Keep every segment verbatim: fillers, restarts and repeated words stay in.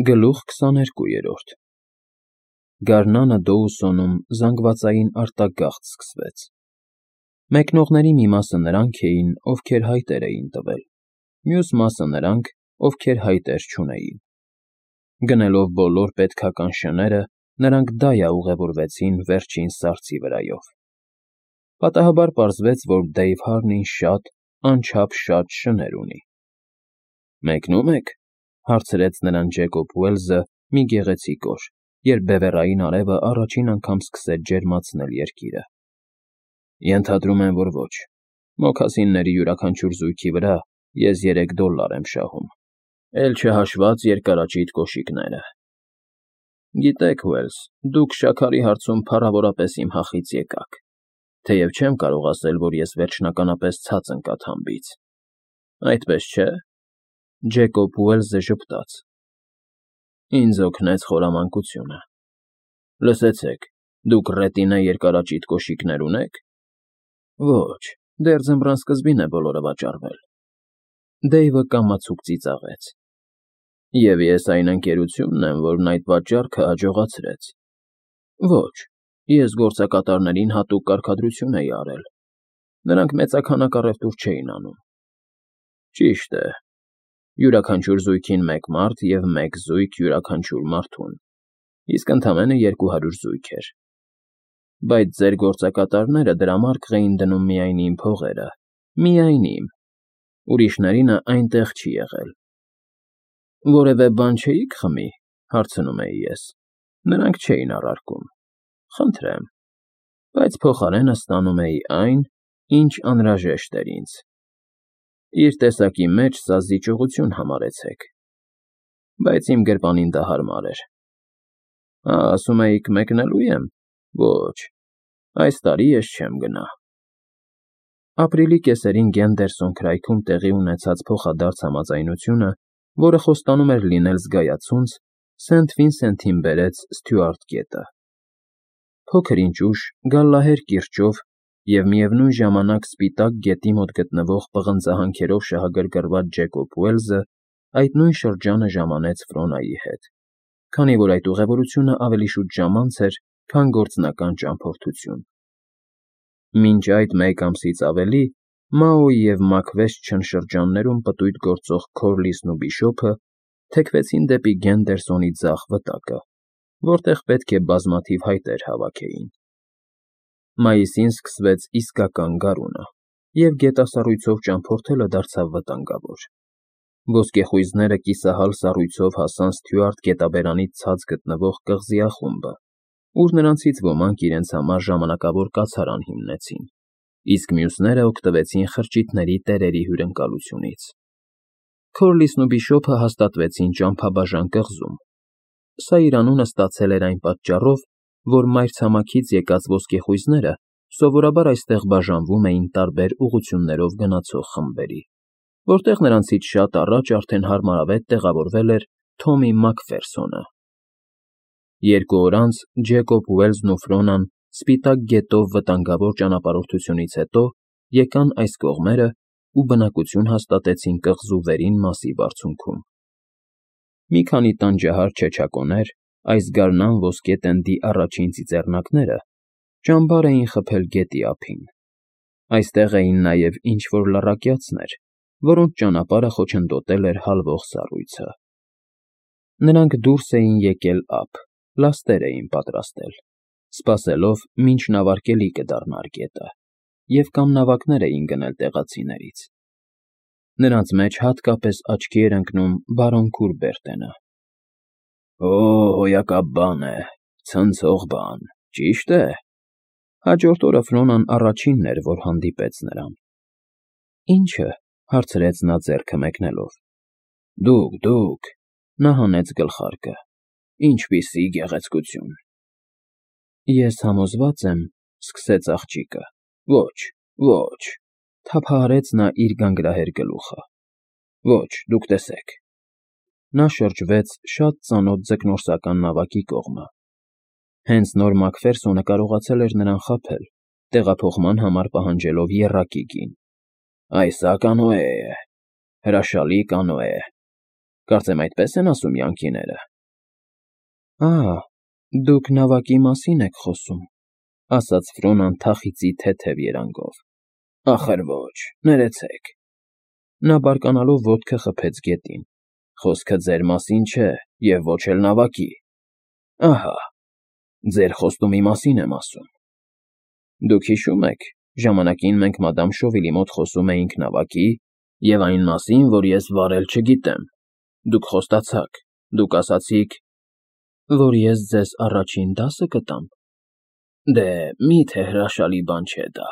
Գլուխ քսաներկուերորդ Գարնանը Դոուսոնում զանգվածային արտագաղթ սկսվեց։ Մեկնողների մի մասը նրանք էին, ովքեր հայտեր էին տվել, մյուս մասը նրանք, ովքեր հայտեր չունեին։ Գնելով բոլոր պետքական շները, նրանք դայա ուղևորվեցին վերջին սառցի վրայով։ Պատահաբար պարզվեց, որ Դեյվ Հարնին շատ, անչափ շատ շներ ունի։ Մեկնո՞ւմ եք, հարցրեց նրան Ջեկոբ Ուելսը մի գեղեցիկ օր, երբ բևեռային արևը առաջին անգամ սկսեց ջերմացնել երկիրը։ Ենթադրում եմ, որ ոչ, մոքասինների յուրաքանչյուր զույգի վրա ես երեք դոլլար եմ շահում, էլ չհաշված երկարաճիտ կոշիկները։ Գիտեք, Ուելս, դուք շաքարի հարցում փառավորապես իմ հախից եկաք, թեև չեմ կարող ասել, որ ես վերջնականապես ցած ընկա թամբից։ Այդպես չէ՞։ Ջեկոբ Ուելսը ժպտաց։ Ինձ օգնեց խորամանկությունը։ Լսեցեք, դուք ռետինե երկարաճիտ կոշիկներ ունե՞ք։ Ոչ, դեռ ձմռան սկզբին է բոլորը վաճառվել։ Դեյվը կամացուկ ծիծաղեց։ Եվ ես այն ընկերությունն եմ, որն այդ վաճառքը հաջողացրեց։ Ոչ, ես գործակատարներին հատուկ կարգադրություն էի արել։ Նրանք մեծաքանակ առևտուր չէին անում։ Ճիշտ է։ Յուրաքանչյուր զույգին մեկ մարդ և մեկ զույգ յուրաքանչյուր մարդուն, իսկ ընդամենը երկու հարյուր զույգ էր։ Բայց ձեր գործակատարները դրամարկղ էին դնում միայն իմ փողերը, միայն իմ, ուրիշներինը այնտեղ չի եղել։ Որևէ բան չէի՞ք խմի, հարցնում էի ես։ Նրանք չէին առարկում։ Խնդրեմ, բայց փոխարենը ստանում էի այն, ինչ անհրաժեշտ էր ինձ։ Իր տեսակի մեջ սա զիջողություն համարեցեք։ Բայց իմ գրպանին դա հարմար էր։ Ա, ասում էիք մեկնելո՞ւ եմ։ Ոչ, այս տարի ես չեմ գնա։ Ապրիլի կեսերին Գենդերսոն քրայքում տեղի ունեցած փոխադարձ համաձայնությունը, որը խոստանում էր լինել զգայացունց, Սենթ Վինսենթին բերեց Ստյուարտ գետը։ Փոքր ինչ ուշ, գալլահեր կիրճով և միևնույն ժամանակ Սպիտակ գետի մոտ գտնվող պղնձահանքերով շահագրգռված Ջեկոբ Ուելսը այդ նույն շրջանը ժամանեց Ֆրոնայի հետ, քանի որ այդ ուղևորությունը ավելի շուտ ժամանց էր, քան գործնական ճամփորդություն։ Մինչ այդ մեկ ամսից ավելի Մաոյի և Մաքվեսթչըն շրջաններում պտույտ գործող Քորլիսն ու Բիշոփը թեքվեցին դեպի Գենդերսոնի ձախ վտակը, որտեղ պետք է բազմաթիվ հայտեր հավաքեին։ Մայիսին սկսվեց իսկական գարունը, և գետասառույցով ճամփորդելը դարձավ վտանգավոր։ Ոսկեխույզները կիսահալ սառույցով հասան Ստյուարտ գետաբերանից ցած գտնվող կղզի աղումբը, ուր նրանցից ոմանք իրենց համար ժամանակավոր կացարան հիմնեցին, իսկ մյուսները օգտվեցին խրճիթների տերերի հյուրընկալությունից։ Քորլիսն ու Բիշոփը հաստատվեցին Ճամփաբաժան կղզում։ Սա իր անունը ստացել էր այն պատճառով, որ մայրցամաքից եկած ոսկեխույզները սովորաբար այստեղ բաժանվում էին տարբեր ուղղություններով գնացող խմբերի, որտեղ նրանցից շատ առաջ արդեն հարմարավետ տեղավորվել էր Թոմի Մաքֆերսոնը։ Երկու օր անց Ջեկոբ Ուելսն ու Ֆրոնան Սպիտակ գետով վտանգավոր ճանապարհորդությունից հետո եկան այս կողմերը ու բնակություն հաստատեցին կղզու վերին մասի բարձունքում։ Մի քանի տանջահար չեչակոներ, այս գարնան ոսկե տենդի առաջին ծիծեռնակները, ճամբար էին խփել գետի ափին։ Այստեղ էին նաև ինչ֊որ լառակյացներ, որոնց ճանապարհը խոչընդոտել էր հալվող սառույցը։ Նրանք դուրս էին եկել ափ, լաստեր էին պատրաստել, սպասելով, մինչ նավարկելի կդառնար գետը, և կամ նավակներ էին գնել տեղացիներից։ Նրանց մեջ հատկապես աչքի էր ընկնում բարոն Քուրբերտենը։ Օ, հոյակապ բան է, ցնցող բան, ճի՞շտ է։ Հաջորդ օրը Ֆրոնան առաջինն էր, որ հանդիպեց նրան։ Ի՞նչը, հարցրեց նա ձեռքը մեկնելով։ Դուք, դուք, նա հանեց գլխարկը, ինչպիսի գեղեցկություն։ Ես համոզված եմ, սկսեց աղջիկը։ Ոչ, ոչ, թափահարեց նա իր գանգրահեր գլուխը։ Ոչ, դուք տեսեք։ Նա շրջվեց շատ ծանոթ ձկնորսական նավակի կողմը։ Հենց նոր Մաքֆերսոնը կարողացել էր նրան խաբել, տեղափոխման համար պահանջելով եռակի գին։ Այս սա կանոե է, հրաշալի կանոե։ Կարծեմ այդպես են ասում յանքիները։ Ահա, դուք նավակի մասին եք խոսում, ասաց Ֆրոնան թախիծի թեթև երանգով։ Ախր ոչ, ներեցեք։ Նա բարկանալով ոտքը խփեց գետին։ Խոսքը ձեր մասին չէ և ոչ էլ նավակի։ Ահա, ձեր խոստումի մասին եմ ասում։ Դուք հիշո՞ւմ եք, ժամանակին մենք մադամ Շովիլի մոտ խոսում էինք նավակի և այն մասին, որ ես վարել չգիտեմ։ Դուք խոստացաք, դուք ասացիք, որ ես ձեզ առաջին դասը կտամ։ Դե, մի՞թե հրաշալի բան չէ դա։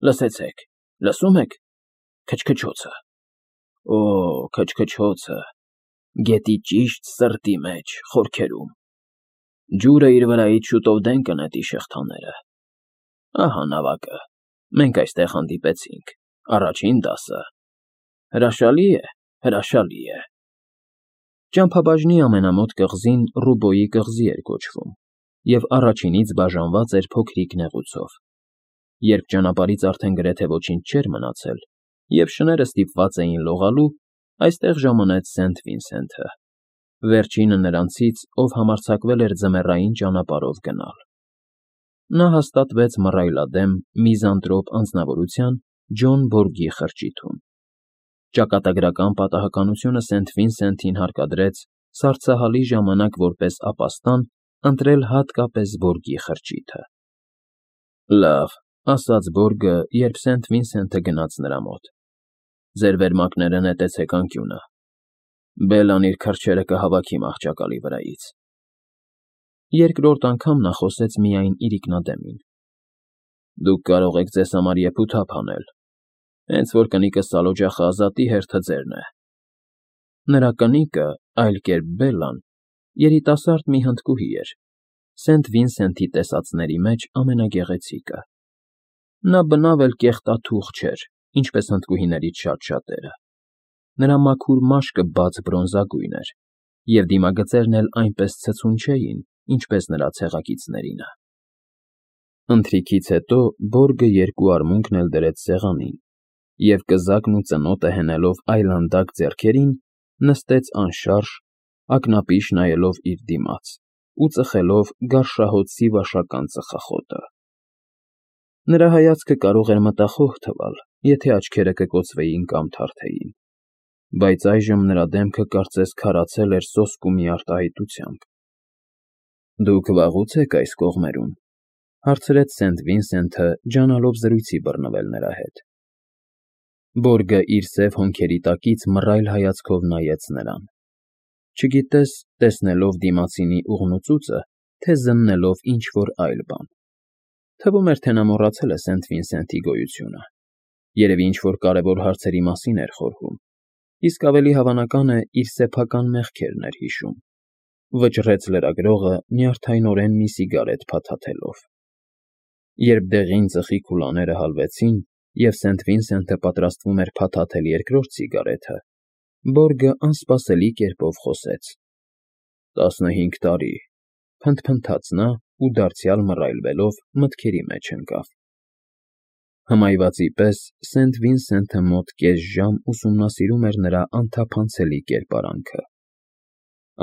Լսեցեք, լսո՞ւմ եք քչքչոցը։ Օ, քչքչոցը, գետի ճիշտ սրտի մեջ, խորքերում։ Ջուրը իր վրայից շուտով դեն կնետի շղթաները։ Ահա նավակը, մենք այստեղ հանդիպեցինք, առաջին դասը։ Հրաշալի է, հրաշալի է։ Ճամփաբաժնի ամենամոտ կղզին Ռուբոյի կղզի էր կոչվում և առաջինից բաժանված էր փոքրիկ նեղուցով։ Երբ ճանապարհից արդեն գրեթե ոչինչ չէր մնացել, և շները ստիպված էին լողալու, այստեղ ժամանեց Սենթ Վինսենթը, վերջինը նրանցից, ով համարձակվել էր ձմեռային ճանապարհով գնալ։ Նա հաստատվեց մռայլադեմ, միզանտրոպ անձնավորության Ջոն Բորգի խրճիթում։ Ճակատագրական պատահականությունը Սենթ Վինսենթին հարկադրեց սառցահալի ժամանակ որպես ապաստան ընտրել հատկապես Բորգի խրճիթը։ Լավ, ասաց Բորգը, երբ Սենթ Վինսենթը գնաց նրա մոտ։ Ձեր վերմակները նետեցեք անկյունը։ Բելլան իր քրջերը կհավաքի մահճակալի վրայից։ Երկրորդ անգամ նա խոսեց միայն իրիկնադեմին։ Դուք կարող եք ձեզ համար եփութափ անել, հենց որ կնիկը սալօջախը Ազատի հերթը ձերն է։ Նրա կնիկը, այլ կերպ Բելլան, երիտասարդ մի հնդկուհի էր, Սենթ Վինսենթի տեսածների մեջ ամենագեղեցիկը։ Նա բնավ էլ կեղտաթուղ չէր, ինչպես հնդկուհիներից շատ շատերը։ Նրա մաքուր մաշկը բաց բրոնզագույն էր, և դիմագծերն էլ այնպես ցցուն չէին, ինչպես նրա ցեղակիցներինը։ Ընթրիքից հետո Բորգը երկու արմունկն էլ դրեց սեղանին և, կզակն ու ծնոտը հենելով այլանդակ ձեռքերին, նստեց անշարժ, ակնապիշ նայելով իր դիմաց ու ծխելով գարշահոտ սիվաշական ծխախոտը։ Նրա հայացքը կարող էր մտախոհ թվալ, եթե աչքերը կկոծվեին կամ թարթեին, բայց այժմ նրա դեմքը կարծես քարացել էր սոսկու մի արտահայտությամբ։ Դուք վաղո՞ւց եք այս կողմերում, հարցրեց Սենթ Վինսենթը, ջանալով զրույցի բռնվել նրա հետ։ Բորգը իր սև հոնքերի տակից մռայլ հայացքով նայեց նրան, չգիտես տեսնելով դիմացինի ուղղնուծուծը, թե զննելով ինչ֊որ այլ բան։ Թվում էր, թե նա մոռացել է Սենթ Վինսենթի գոյությունը, երևի ինչ֊որ կարևոր հարցերի մասին էր խորհում, իսկ ավելի հավանական է իր սեփական մեղքերն էր հիշում։ Վճռեց լրագրողը նյարդայնորեն մի սիգարետ փաթաթելով։ Երբ դեղին ծխի քուլաները հալվեցին, և Սենթ Վինսենթը պատրաստվում էր փաթաթել երկրորդ սիգարետը, Բորգը անսպասելի կերպով խոսեց։ Տասնհինգ տարի, փնթփնթաց նա ու դարձյալ մռայլվելով մտքերի մեջ ընկավ։ Հմայվածի պես Սենթ Վինսենթը մոտ կես ժամ ուսումնասիրում էր նրա անթափանցելի կերպարանքը։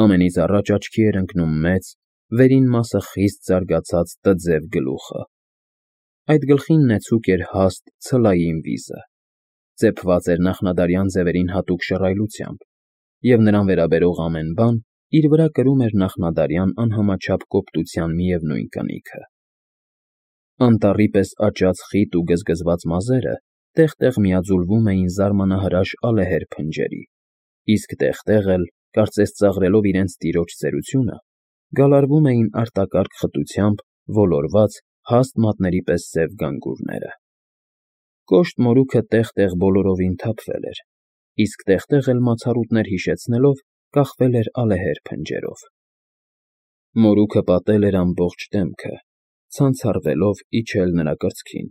Ամենից առաջ աչքի էր ընկնում մեծ, վերին մասը խիստ զարգացած տձև գլուխը։ Այդ գլխին նեցուկ էր հաստ ցլային վիզը, ծեփված էր նախնադարյան ձևերին հատուկ շռայլությամբ, և նրան վերաբերող ամեն բան իր վրա կրում էր նախնադարյան անհամաչափ կոպտության միևնույն կնիքը։ Անտառի պես աճած խիտ ու գզգզված մազերը տեղ֊տեղ միաձուլվում էին զարմանահրաշ ալեհեր փնջերի, իսկ տեղ֊տեղ էլ, կարծես ծաղրելով իրենց տիրոջ ծերությունը, գալարվում էին արտակարգ խտությամբ ոլորված հաստ մատների պես սև գանգուրները։ Կոշտ մորուքը տեղ֊տեղ բոլորովին թափվել էր, իսկ տեղ֊տեղ էլ մացառուտներ հիշեցնելով կախվել էր ալեհեր փնջերով։ Մորուքը պատել էր ամբողջ դեմքը, ցանցառվելով իջել նրա կրծքին,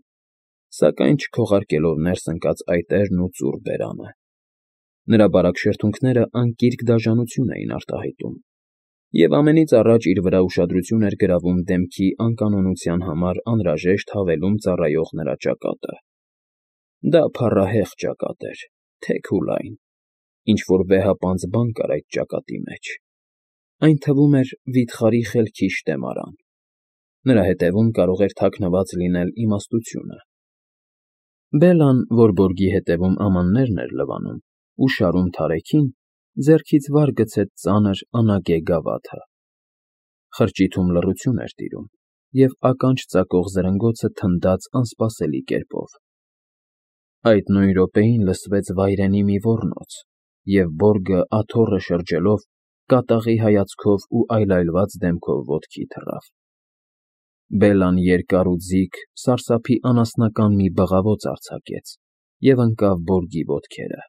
սակայն չքողարկելով ներս ընկած այտերն ու ծուռ բերանը։ Նրա բարակ շրթունքները անկիրք դաժանություն էին արտահայտում, և ամենից առաջ իր վրա ուշադրություն էր գրավում դեմքի անկանոնության համար անհրաժեշտ հավելում ծառայող նրա ճակատը։ Դա փառահեղ ճակատ էր, թեք ու լայն, Ինչ-որ վեհապանծ բան կար այդ ճակատի մեջ, այն թվում էր վիթխարի խելքի շտեմարան, նրա հետևում կարող էր թաքնված լինել իմաստությունը։ Բելլան, որ բորգի հետևում ամաններն էր լվանում ու շարում թարեքին, ձեռքից վար գցեց ծանր անագե գավաթը։ Խրճիթում լռություն էր տիրում, և ականջ ծակող զրնգոցը թնդաց անսպասելի կերպով։ Այդ նույն րոպեին լսվեց վայրենի մի ոռնոց, և բորգը, աթոռը շրջելով, կատաղի հայացքով ու այլայլված դեմքով ոտքի թռավ։ Բելլան երկար ու ձիգ, սարսափի անասնական մի բղավոց արձակեց և ընկավ բորգի ոտքերը։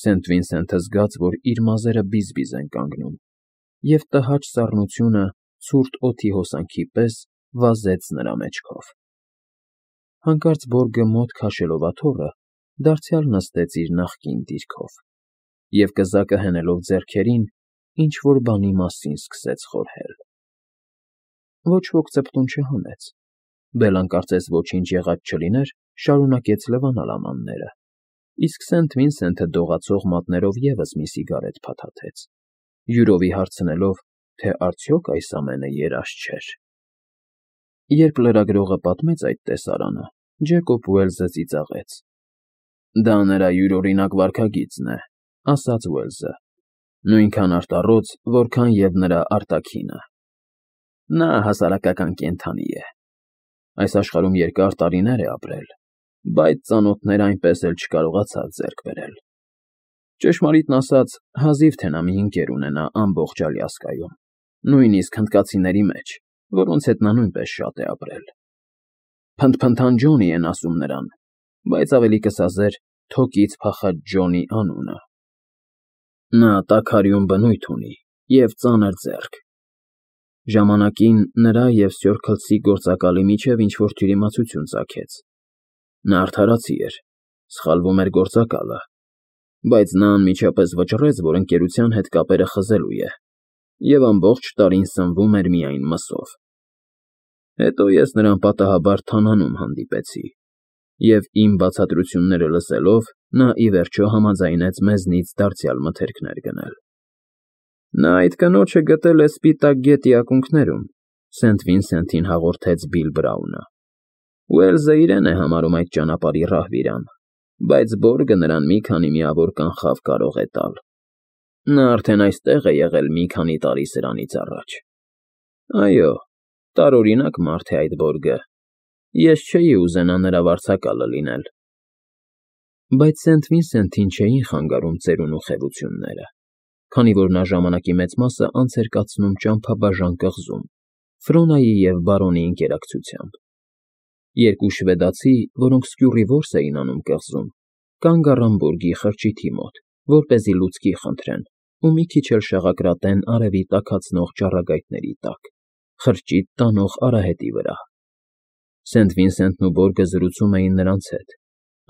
Սենթ Վինսենթը զգաց, որ իր մազերը բիզ֊բիզ են կանգնում, և տհաճ սառնությունը, ցուրտ օդի հոսանքի պես, վազեց նրա մեջքով։ Հանկարծ բորգը մոտ քաշելով աթոռը, դարձյալ նստեց իր նախկին դիրքով և, կզակը հենելով ձեռքերին, ինչ֊որ բանի մասին սկսեց խորհել։ Ոչ ոք ծպտուն չհանեց։ Բելլան կարծես ոչինչ եղած չլիներ, շարունակեց լվանալ ամանները, իսկ Սենթ Վինսենթը դողացող մատներով ևս մի սիգարետ փաթաթեց, յուրովի հարցնելով, թե արդյոք այս ամենը երազ չէր։ Երբ լրագրողը պատմեց այդ տեսարանը, Ջեկոբ Ուելսը ծիծաղեց։ «Դա նրա յուրօրինակ վարքագիծն է,» ասաց Ուելսը,֊ նույնքան արտառոց, որքան և նրա արտաքինը։ Նա հասարակական կենդանի է։ Այս աշխարհում երկար տարիներ է ապրել, բայց ծանոթներ այնպես էլ չկարողացավ ձեռք բերել։ Ճշմարիտն ասած, հազիվ թե նա մի ընկեր ունենա ամբողջ Ալյասկայում, նույնիսկ հնդկացիների մեջ, որոնց հետ նա նույնպես շատ է ապրել։ Փնթփնթան Ջոնի են ասում նրան, բայց ավելի կսազեր թոկից փախած Ջոնի անունը։ Նա տաքարյուն բնույթ ունի և ծանր ձեռք։ Ժամանակին նրա և սյոր Քլսի գործակալի միջև ինչ֊որ թյուրիմացություն ծագեց։ Նա արդարացի էր, սխալվում էր գործակալը, բայց նա անմիջապես վճռեց, որ ընկերության հետ կապերը խզելու է, և ամբողջ տարին սնվում էր միայն մսով։ Հետո ես նրան պատահաբար թանանում հանդիպեցի, և իմ բացատրությունները լսելով, նա ի վերջո համաձայնեց մեզնից դարձյալ մթերքներ գնել։ Նա այդ կնոջը գտել է Սպիտակ Գետի ակունքներում, Սենթ Վինսենթին հաղորդեց Բիլ Բրաունը։ Ուելսը իրեն է համարում այդ ճանապարհի ռահվիրան, բայց բորգը նրան մի քանի միավոր կանխավ կարող է տալ։ Նա արդեն այստեղ է եղել մի քանի տարի սրանից առաջ։ Այո, տարօրինակ մարդ է այդ բորգը, ես չէի ուզենա նրա վարձակալը լինել։ Բայց Սենթ Վինսենթին չէին խանգարում ծերուն ու խևությունները, քանի որ նա ժամանակի մեծ մասը անց էր կացնում ճամփաբաժան կղզում, Ֆրոնայի և բարոնի ընկերակցությամբ։ Երկու շվեդացի, որոնք սկյուռի որս էին անում կղզում, կանգ առան բորգի խրճիթի մոտ, որպեսզի լուցկի խնդրեն ու մի քիչ էլ շաղակրատեն արևի տաքացնող ճառագայթների տակ, խրճիթ տանող արահետի վրա։ Սենթ Վինսենթն ու բորգը զրուցում էին նրանց հետ,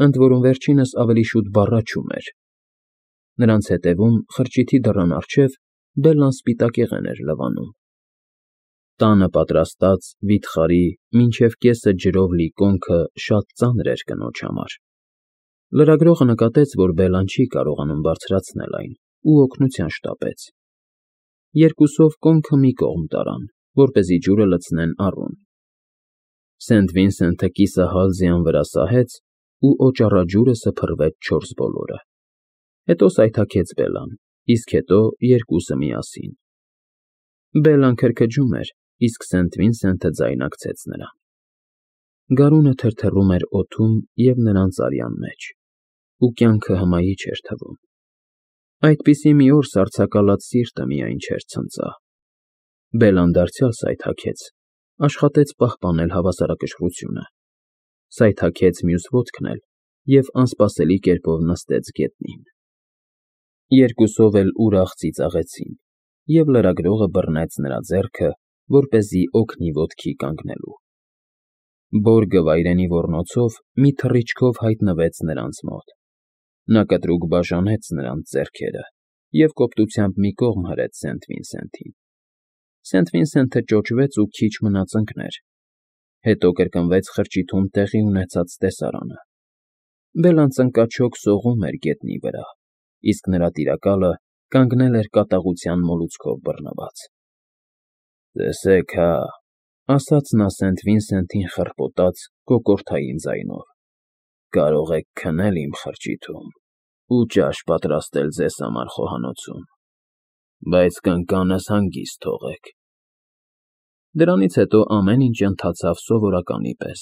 ընդ որում վերջինս ավելի շուտ բառաչում էր։ Նրանց հետևում, խրճիթի դռան առջև, Բելլան սպիտակեղեն էր լվանում։ Տանը պատրաստած, վիթխարի, մինչև կեսը ջրով լի կոնքը շատ ծանր էր կնոջ համար։ Լրագրողը նկատեց, որ Բելլան չի կարողանում բարձրացնել այն, ու օգնության շտապեց։ Երկուսով կոնքը մի կողմ տարան, որպեսզի ջուրը լցնեն առուն։ Սենթ Վինսենթը կիսահալ ձյան վրա սահեց, ու օճառաջուրը սփռվեց չորս բոլորը։ Հետո սայթաքեց Բելլան, իսկ հետո երկուսը միասին։ Բելլան քրքջում էր, իսկ Սենթ Վինսենթը ձայնակցեց նրան։ Գարունը թրթռում էր օդում և նրանց արյան մեջ, ու կյանքը հմայիչ էր թվում։ Այդպիսի մի օր սառցակալած սիրտը միայն չէր ցնծա։ Բելլան դարձյալ սայթաքեց, աշխատեց պահպանել հավասարակշռությունը, սայթաքեց մյուս ոտքն էլ և անսպասելի կերպով նստեց գետնին։ Երկուսով էլ ուրախ ծիծաղեցին, և լրագրողը բռնեց նրա ձեռքը, որպեսզի օգնի ոտքի կանգնելու։ Բորգը վայրենի ոռնոցով մի թռիչքով հայտնվեց նրանց մոտ։ Նա կտրուկ բաժանեց նրանց ձեռքերը և կոպտությամբ մի կողմ հրեց Սենթ Վինսենթին։ Սենթ Վինսենթը ճոճվեց ու քիչ մնաց ընկներ։ Հետո կրկնվեց խրճիթում տեղի ունեցած տեսարանը։ Բելլան ծնկաչոք սողում էր գետնի վրա, իսկ նրա տիրակալը կանգնել էր կատաղության մոլուցքով բռնված։ ֊ Տեսեք հա,֊ ասաց նա Սենթ Վինսենթին խռպոտած, կոկորդային ձայնով,֊ կարող եք քնել իմ խրճիթում ու ճաշ պատրաստել ձեզ համար խոհանոցում, բայց կնկանս հանգիստ թողեք… Դրանից հետո ամեն ինչ ընթացավ սովորականի պես,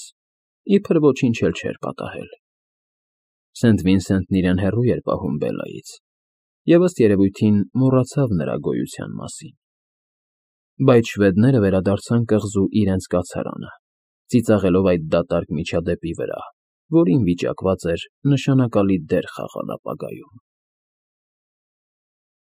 իբր ոչինչ էլ չէր պատահել։ Սենթ Վինսենտն իրեն հեռու էր պահում Բելլայից և, ըստ երևույթին, մոռացավ նրա գոյության մասին։ Բայց շվեդները վերադարձան կղզու իրենց կացարանը, ծիծաղելով այդ դատարկ միջադեպի վրա, որին վիճակված էր նշանակալի դեր խաղալ ապագայում։